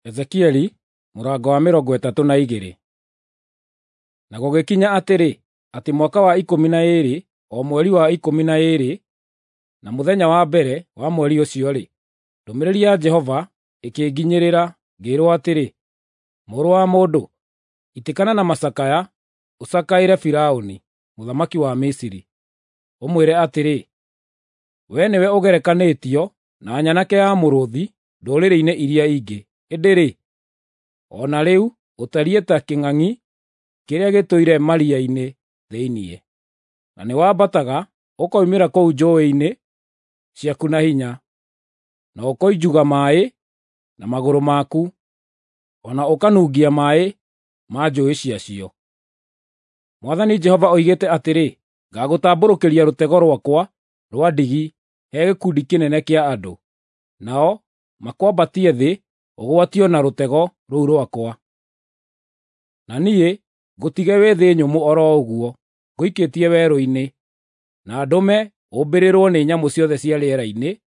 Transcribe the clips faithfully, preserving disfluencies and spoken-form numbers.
Ezekieli mũrango wa mĩrongo ĩtatũ na igĩrĩ. Na gũgĩkinya atĩrĩ, atĩ mwaka wa ikũmi na ĩĩrĩ, o mweri wa ikũmi na ĩĩrĩ, na mũthenya wa mbere wa mweri ũcio-rĩ, ndũmĩrĩri ya Jehova ĩkĩnginyĩrĩra, ngĩĩrwo atĩrĩ, “Mũrũ wa mũndũ, itĩkana na macakaya ũcakaĩre Firaũni, mũthamaki wa Misiri, ũmwĩre atĩrĩ, ‘Wee nĩwe ũgerekanĩtio na nyanake ya mũrũũthi ndũrĩrĩ-inĩ iria ingĩ, ĩndĩ-rĩ, o na rĩu ũtariĩ ta kĩng'ang'i kĩrĩa gĩtũire maria-inĩ thĩinĩ, na nĩwambataga ũkoimĩra kũu njũũĩ-inĩ ciaku na hinya, na ũkoinjuga maaĩ na magũrũ maku, o na ũkanungia maaĩ ma njũũĩ ciacio.’ Mwathani Jehova oigĩte atĩrĩ, ngagũtambũrũkĩria rũtego rwakwa rwa ndigi he gĩkundi kĩnene kĩa andũ, nao makwambatie thĩ ũgwatio na rũtego rũu rwakwa. Na niĩ ngũtige wĩ thĩ nyũmũ o ro ũguo, ngũikĩtie werũ-inĩ, na ndũme ũmbĩrĩrwo nĩ nyamũ ciothe cia rĩera-inĩ,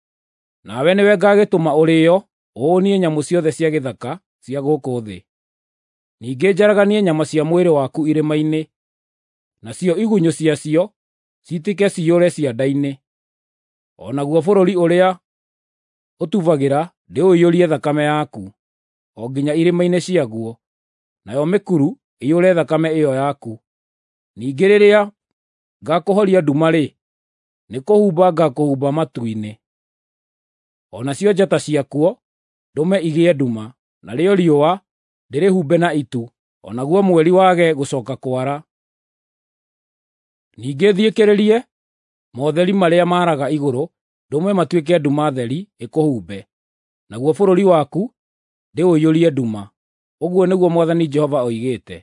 nawe nĩwe ngaagĩtũma ũrĩĩo ũhũũnie nyamũ ciothe cia gĩthaka cia gũkũ thĩ. Ningĩ njaraganie nyama cia mwĩrĩ waku irĩma-inĩ, nacio igunyũ ciacio ciitĩke ciyũre cianda-inĩ. O naguo bũrũri ũrĩa ũtubagĩra ndĩũiyũrie thakame yaku, o nginya irĩma-inĩ ciaguo, nayo mĩkuru ĩiyũre thakame ĩyo yaku. Ningĩ rĩrĩa ngaakũhoria nduma-rĩ, nĩkũhumba ngaakũhumba matu-inĩ. O nacio njata ciakuo ndũme igĩe nduma, narĩo riũa ndĩrĩhumbe na itu, o naguo mweri wage gũcooka kwara. Ningĩ thiĩkĩrĩrie motheri marĩa maaraga igũrũ ndũme matuĩke nduma theri ĩkũhumbe, naguo bũrũri waku ndĩũiyũrie nduma, ũguo nĩguo Mwathani Jehova oigĩte.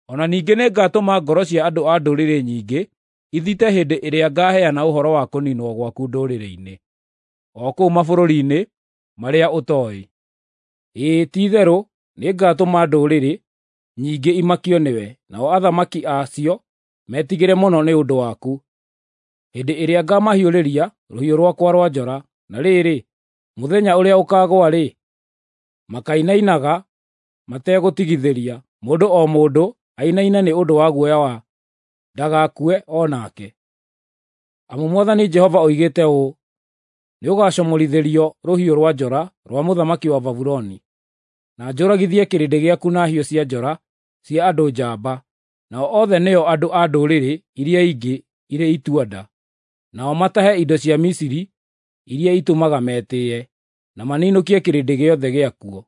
O na ningĩ nĩngatũma ngoro cia andũ a ndũrĩrĩ nyingĩ ithite hĩndĩ ĩrĩa ngaaheana ũhoro wa kũniinwo gwaku ndũrĩrĩ-inĩ, o kũu mabũrũri-inĩ marĩa ũtooĩ. Ĩĩ, ti-itherũ nĩngatũma ndũrĩrĩ nyingĩ imakio nĩwe, nao athamaki a cio metigĩre mũno nĩ ũndũ waku, hĩndĩ ĩrĩa ngaamahiũrĩria rũhiũ rwakwa rwa njora. Na rĩrĩ, mũthenya ũrĩa ũkaagũa-rĩ, makainainaga mategũtigithĩria, mũndũ o mũndũ ainaine nĩ ũndũ wa guoya wa ndagakue o nake. Amu Mwathani Jehova oigĩte ũũ, nĩũgacomorithĩrio rũhiũ rwa njora rwa mũthamaki wa Babuloni, na njũragithie kĩrĩndĩ gĩaku na hiũ cia njora cia andũ njamba, nao othe nĩo andũ a ndũrĩrĩ iria ingĩ irĩ itua-nda, nao matahe indo cia Misiri iria itũmaga metĩĩe, na maninũkie kĩrĩndĩ gĩothe gĩakuo.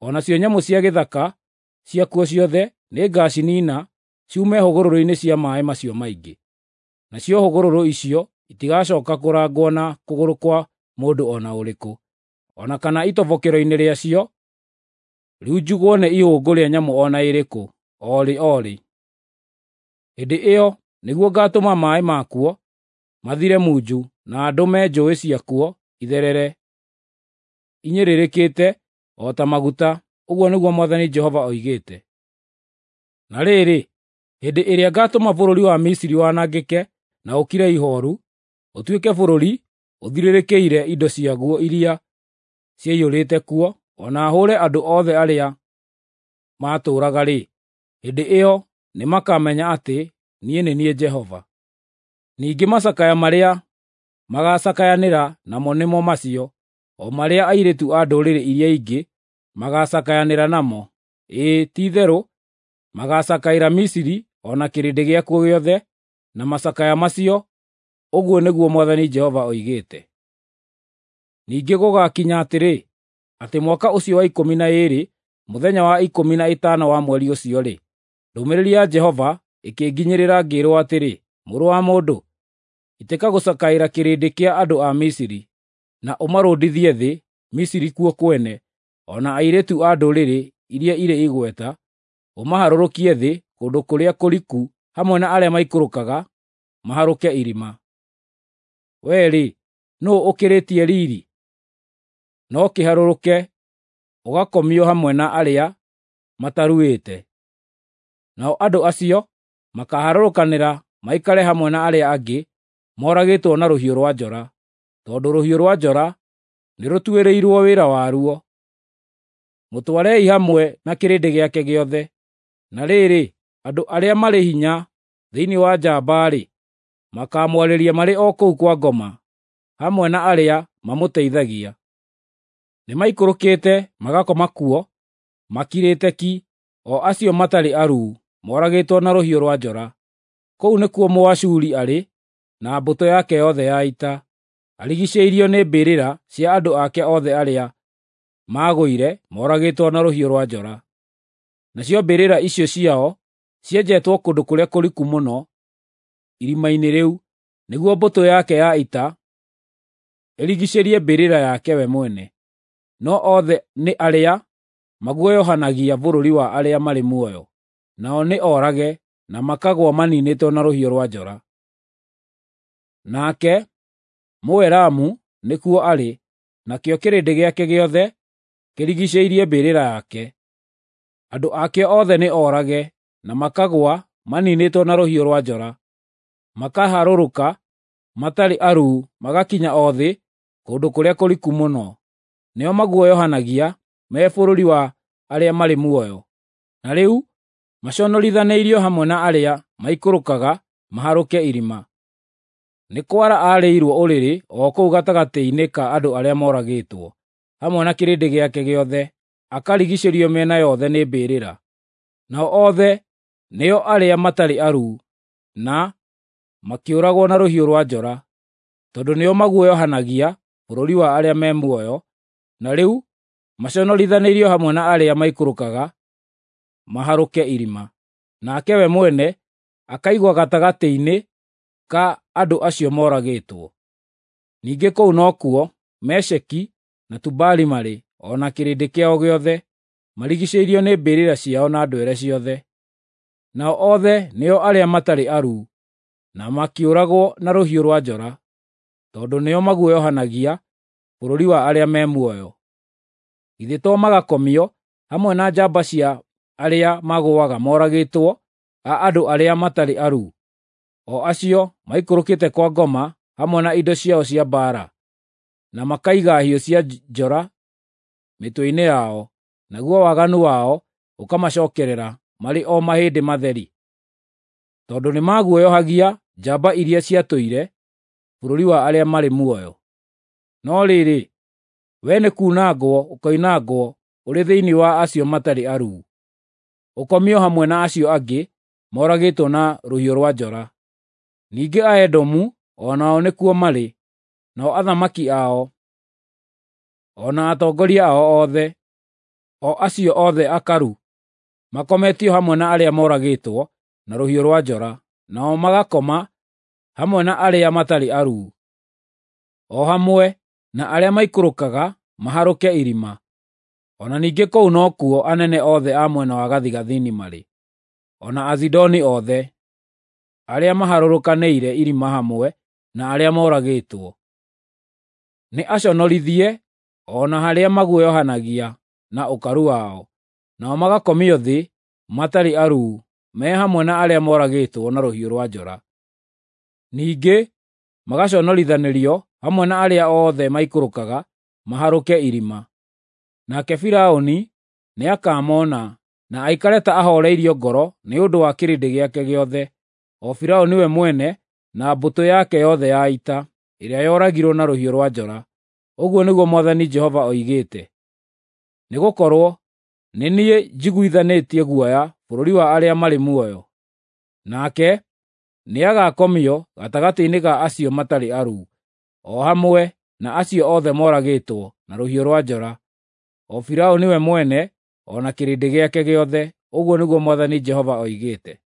O nacio nyamũ cia gĩthaka ciakuo ciothe nĩngaciniina ciume hũgũrũrũ-inĩ cia maaĩ macio maingĩ. Nacio hũgũrũrũ icio itigacooka kũrangwo na kũgũrũ kwa mũndũ o na ũrĩkũ, o na kana itobokero-inĩ rĩacio riunjugwo nĩ ihũngũ rĩa nyamũ o na ĩrĩkũ, o rĩ o rĩ. Hĩndĩ ĩyo nĩguo ngaatũma maaĩ makuo mathire munju na ndũme njũũĩ ciakuo itherere inyĩrĩrĩkĩte o ta maguta, ũguo nĩguo Mwathani Jehova oigĩte. Na rĩrĩ, hĩndĩ ĩrĩa ngaatũma bũrũri wa Misiri wanangĩke na ũkire ihooru, ũtuĩke bũrũri ũthirĩrĩkĩire indo ciaguo iria ciaiyũrĩte kuo, o na hũũre andũ othe arĩa maatũũraga-rĩ, hĩndĩ ĩyo nĩmakamenya atĩ niĩ nĩ niĩ Jehova. Ningĩ macakaya marĩa magaacakayanĩra namo nĩmo macio, o marĩa airĩtu a ndũrĩrĩ iria ingĩ magaacakayanĩra namo. Ĩĩ, ti-itherũ magaacakaĩra Misiri o na kĩrĩndĩ gĩakuo gĩothe na macakaya macio, ũguo nĩguo Mwathani Jehova oigĩte. Ningĩ gũgakinya atĩrĩ, atĩ mwaka ũcio wa ikũmi na ĩĩrĩ, mũthenya wa ikũmi na ĩtano wa mweri ũcio-rĩ, ndũmĩrĩri ya Jehova ĩkĩnginyĩrĩra ngĩĩrwo atĩrĩ, “Mũrũ wa mũndũ, itĩka gũcakaĩra kĩrĩndĩ kĩa andũ a Misiri, na ũmarũndithie thĩ, Misiri kuo kwene, o na airĩtu a ndũrĩrĩ iria irĩ igweta, ũmaharũrũkie thĩ kũndũ kũrĩa kũriku hamwe na arĩa maikũrũkaga maharũke irima. Wee-rĩ, nũũ ũkĩrĩtie riiri? No kĩharũrũke ũgakomio hamwe na arĩa mataruĩte. Nao andũ acio makaaharũrũkanĩra maikare hamwe na arĩa angĩ moragĩtwo na rũhiũ rwa njora, tondũ rũhiũ rwa njora nĩrũtuĩrĩirwo wĩra waruo. Mũtwarei hamwe na kĩrĩndĩ gĩake gĩothe. Na rĩrĩ, andũ arĩa marĩ hinya thĩinĩ wa njamba-rĩ, makaamwarĩria marĩ o kũu kwa ngoma, hamwe na arĩa mamũteithagia. Nĩmaikũrũkĩte magakoma kuo makirĩte ki, o acio matarĩ aruu, moragĩtwo na rũhiũ rwa njora. Kũu nĩkuo Mũashuri arĩ na mbũtũ yake yothe ya ita, arigiicĩirio nĩ mbĩrĩra cia andũ ake othe arĩa maagũire moragĩtwo na rũhiũ rwa njora. Nacio mbĩrĩra icio ciao cienjetwo kũndũ kũrĩa kũriku mũno irima-inĩ rĩu, nĩguo mbũtũ yake ya ita ĩrigiicĩrie mbĩrĩra yake we mwene. No othe nĩ arĩa maguoyohanagia bũrũri wa arĩa marĩ muoyo, nao nĩ orage na makagũa maniinĩtwo na rũhiũ rwa njora. Nake Mũelamu nĩkuo arĩ, nakĩo kĩrĩndĩ gĩake gĩothe kĩrigiicĩirie mbĩrĩra yake. Andũ akĩo othe nĩ orage na makagũa maniinĩtwo na rũhiũ rwa njora, makaharũrũka matarĩ aruu magakinya o thĩ kũndũ kũrĩa kũriku mũno. Nĩo maguoyohanagia me bũrũri wa arĩa marĩ muoyo. Na rĩu maconorithanĩirio hamwe na arĩa maikũrũkaga maharũke irima. Nĩ kwara aarĩirwo ũrĩrĩ o kũu gatagatĩ-inĩ ka andũ arĩa moragĩtwo, hamwe na kĩrĩndĩ gĩake gĩothe, akarigiicĩrio mĩena yothe nĩ mbĩrĩra. Nao othe nĩo arĩa matarĩ aruu, na makĩũragwo na rũhiũ rwa njora, tondũ nĩo maguoyohanagia bũrũri wa arĩa me muoyo, na rĩu maconorithanĩirio hamwe na arĩa maikũrũkaga maharũke irima. Nake we mwene akaigwo gatagatĩ-inĩ ka andũ acio moragĩtwo. Ningĩ kũu nokuo Mesheki na Tubali marĩ, o na kĩrĩndĩ kĩao gĩothe, marigiicĩirio nĩ mbĩrĩra ciao na ndwere ciothe. Nao othe nĩo arĩa matarĩ aruu, na makĩũragwo na rũhiũ rwa njora, tondũ nĩo maguoyohanagia bũrũri wa arĩa me muoyo. Githĩ to magakomio hamwe na njamba cia arĩa magũaga moragĩtwo a andũ arĩa matarĩ aruu, o acio maikũrũkĩte kwa ngoma hamwe na indo ciao cia mbaara, na makaiga hiũ cia njora mĩtwe-inĩ yao, naguo waganu wao ũkamacookerera marĩ o mahĩndĩ matheri. Tondũ nĩmaguoyohagia njamba iria ciatũire bũrũri wa arĩa marĩ muoyo. No rĩrĩ, we nĩkunangwo ũkoinangwo ũrĩ thĩinĩ wa acio matarĩ aruu, ũkomio hamwe na acio angĩ moragĩtwo na rũhiũ rwa njora. Ningĩ Aedomu o nao nĩkuo marĩ, nao athamaki ao, o na atongoria ao othe, o acio othe akaru, makometio hamwe na arĩa moragĩtwo na rũhiũ rwa njora, nao magakoma hamwe na arĩa matarĩ aruu, o hamwe na arĩa maikũrũkaga maharũke irima. O na ningĩ kũu nokuo anene othe a mwena wa gathigathini marĩ, o na Azidoni othe, arĩa maharũrũkanĩire irima hamwe na arĩa moragĩtwo. Nĩ aconorithie o na harĩa maguoyohanagia na ũkaru wao, nao magakomio thĩ matarĩ aruu, me hamwe na arĩa moragĩtwo na rũhiũ rwa njora. Ningĩ magaconorithanĩrio hamwe na arĩa othe maikũrũkaga maharũke irima. Nake Firaũni nĩakamona na aikare ta ahooreirio ngoro nĩ ũndũ wa kĩrĩndĩ gĩake gĩothe, o Firaũni we mwene na mbũtũ yake yothe ya ita, ĩrĩa yoragirwo na rũhiũ rwa njora. Ũguo nĩguo Mwathani Jehova oigĩte. Nĩgũkorwo nĩ niĩ njiguithanĩtie guoya bũrũri wa arĩa marĩ muoyo. Nake nĩagakomio gatagatĩ-inĩ ka acio matarĩ aruu, o hamwe na acio othe moragĩtwo na rũhiũ rwa njora, o Firaũni we mwene o na kĩrĩndĩ gĩake gĩothe. Ũguo nĩguo Mwathani Jehova oigĩte.